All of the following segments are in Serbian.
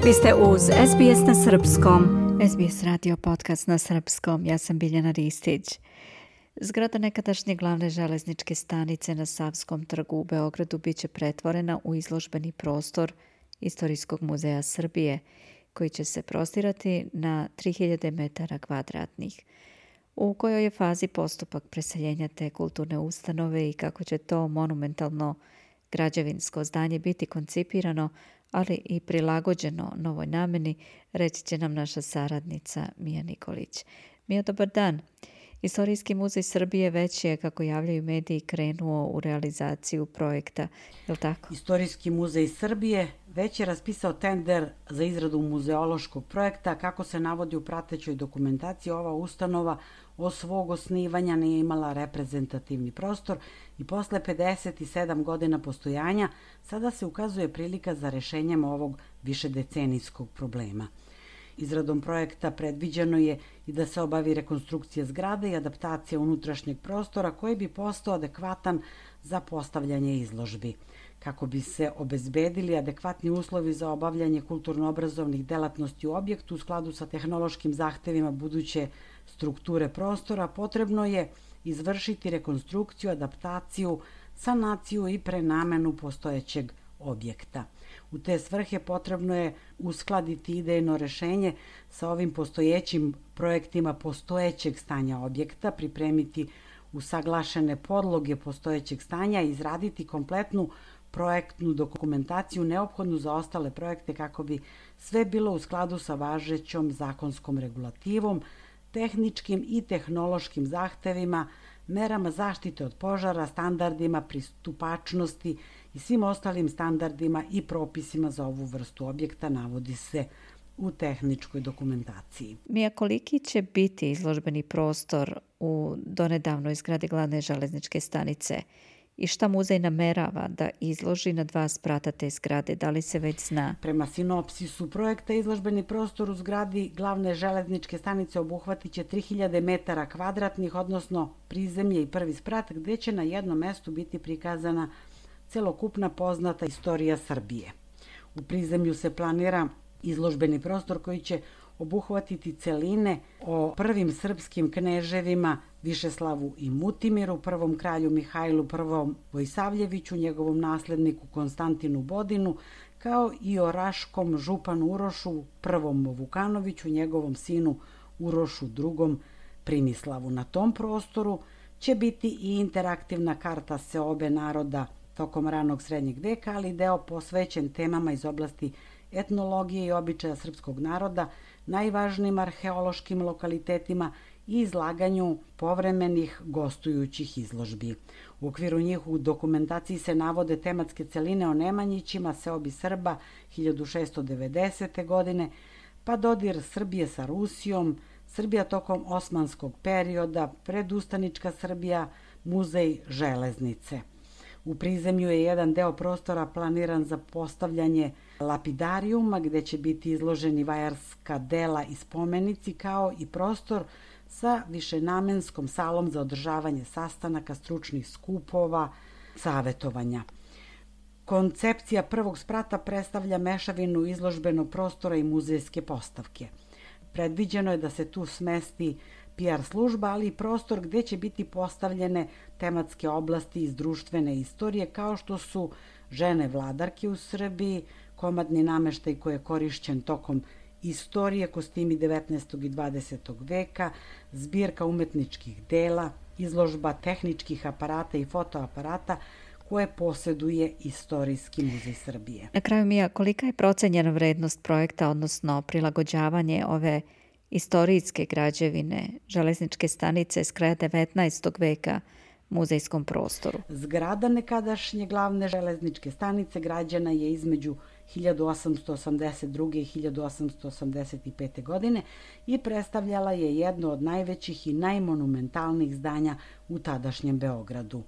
Vi ste uz SBS na srpskom. SBS radio podcast na srpskom. Ja sam Biljana Ristić. Zgrada nekadašnje glavne železničke stanice na Savskom trgu u Beogradu biće pretvorena u izložbeni prostor Istorijskog muzeja Srbije, koji će se prostirati na 3000 metara kvadratnih. U kojoj je fazi postupak preseljenja te kulturne ustanove i kako će to monumentalno građevinsko zdanje biti koncipirano, ali i prilagođeno novoj nameni, reći će nam naša saradnica Mija Nikolić. Mija, dobar dan. Istorijski muzej Srbije već je, kako javljaju mediji, krenuo u realizaciju projekta, je li tako? Istorijski muzej Srbije već je raspisao tender za izradu muzeološkog projekta. Kako se navodi u pratećoj dokumentaciji, ova ustanova od svog osnivanja nije imala reprezentativni prostor i posle 57 godina postojanja sada se ukazuje prilika za rešenjem ovog višedecenijskog problema. Izradom projekta predviđeno je i da se obavi rekonstrukcija zgrade i adaptacija unutrašnjeg prostora koji bi postao adekvatan za postavljanje izložbi. Kako bi se obezbedili adekvatni uslovi za obavljanje kulturno-obrazovnih delatnosti u objektu u skladu sa tehnološkim zahtevima buduće strukture prostora, potrebno je izvršiti rekonstrukciju, adaptaciju, sanaciju i prenamenu postojećeg objekta. U te svrhe potrebno je uskladiti idejno rešenje sa ovim postojećim projektima postojećeg stanja objekta, pripremiti usaglašene podloge postojećeg stanja i izraditi kompletnu projektnu dokumentaciju neophodnu za ostale projekte kako bi sve bilo u skladu sa važećom zakonskom regulativom, tehničkim i tehnološkim zahtevima, merama zaštite od požara, standardima pristupačnosti i svim ostalim standardima i propisima za ovu vrstu objekta, navodi se u tehničkoj dokumentaciji. Mija, koliki će biti izložbeni prostor u donedavnoj zgradi glavne železničke stanice i šta muzej namerava da izloži na 2 sprata te zgrade, da li se već zna? Prema sinopsisu projekta, izložbeni prostor u zgradi glavne železničke stanice obuhvatit će 3000 metara kvadratnih, odnosno prizemlje i prvi sprat, gde će na jednom mestu biti prikazana celokupna poznata istorija Srbije. U prizemlju se planira izložbeni prostor koji će obuhvatiti celine o prvim srpskim kneževima Višeslavu i Mutimiru, prvom kralju Mihajlu I Vojsavljeviću, njegovom nasledniku Konstantinu Bodinu, kao i o raškom županu Urošu I Vukanoviću, njegovom sinu Urošu II Primislavu. Na tom prostoru će biti i interaktivna karta seobe naroda tokom ranog srednjeg veka, ali deo posvećen temama iz oblasti etnologije i običaja srpskog naroda, najvažnijim arheološkim lokalitetima i izlaganju povremenih gostujućih izložbi. U okviru njih u dokumentaciji se navode tematske celine o Nemanjićima, seobi Srba 1690. godine, pa dodir Srbije sa Rusijom, Srbija tokom osmanskog perioda, predustanička Srbija, muzej železnice. U prizemlju je jedan deo prostora planiran za postavljanje lapidarijuma, gde će biti izloženi vajarska dela i spomenici, kao i prostor sa višenamenskom salom za održavanje sastanaka, stručnih skupova, savetovanja. Koncepcija prvog sprata predstavlja mešavinu izložbenog prostora i muzejske postavke. Predviđeno je da se tu smesti PR služba, ali i prostor gde će biti postavljene tematske oblasti iz društvene istorije, kao što su žene vladarke u Srbiji, komadni nameštaj koji je korišćen tokom istorije, kostimi 19. i 20. veka, zbirka umetničkih dela, izložba tehničkih aparata i fotoaparata koje posjeduje Istorijski muzej Srbije. Na kraju, Mija, kolika je procenjena vrednost projekta, odnosno prilagođavanje ove istorijske građevine železničke stanice s kraja 19. veka muzejskom prostoru? Zgrada nekadašnje glavne železničke stanice građena je između 1882. i 1885. godine i predstavljala je jedno od najvećih i najmonumentalnijih zdanja u tadašnjem Beogradu.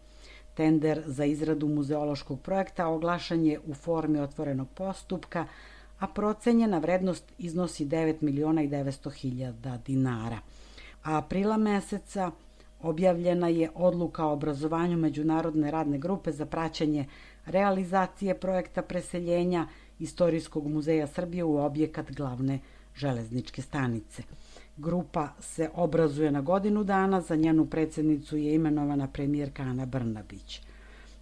Tender za izradu muzeološkog projekta oglašen je u formi otvorenog postupka, a procenjena vrednost iznosi 9.900.000 dinara. A aprila meseca objavljena je odluka o obrazovanju Međunarodne radne grupe za praćenje realizacije projekta preseljenja Istorijskog muzeja Srbije u objekat glavne železničke stanice. Grupa se obrazuje na godinu dana, za njenu predsjednicu je imenovana premijerka Ana Brnabić.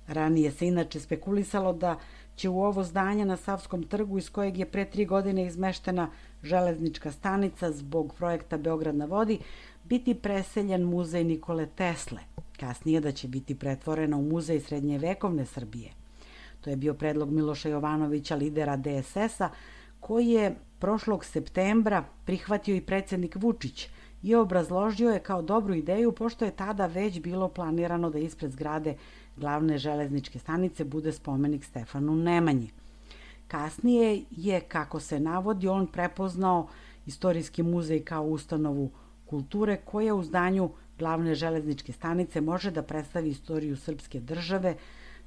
Ranije se inače spekulisalo da će u ovo zdanje na Savskom trgu, iz kojeg je pre 3 godine izmeštena železnička stanica zbog projekta Beograd na vodi, biti preseljen muzej Nikole Tesle. Kasnije da će biti pretvorena u muzej srednjevekovne Srbije. To je bio predlog Miloša Jovanovića, lidera DSS-a, koji je prošlog septembra prihvatio i predsjednik Vučić i obrazložio je kao dobru ideju, pošto je tada već bilo planirano da ispred zgrade glavne železničke stanice bude spomenik Stefanu Nemanji. Kasnije je, kako se navodi, on prepoznao Istorijski muzej kao ustanovu kulture koja u zdanju glavne železničke stanice može da predstavi istoriju srpske države,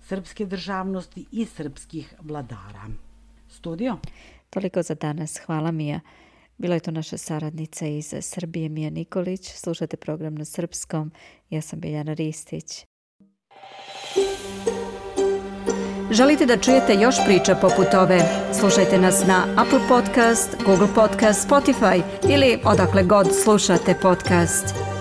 srpske državnosti i srpskih vladara. Studio? Toliko za danas. Hvala, Mija. Bila je to naša saradnica iz Srbije, Mija Nikolić. Slušate program na srpskom. Ja sam Biljana Ristić. Želite da čujete još priča poput ove? Slušajte nas na Apple Podcast, Google Podcast, Spotify ili odakle god slušate podcast.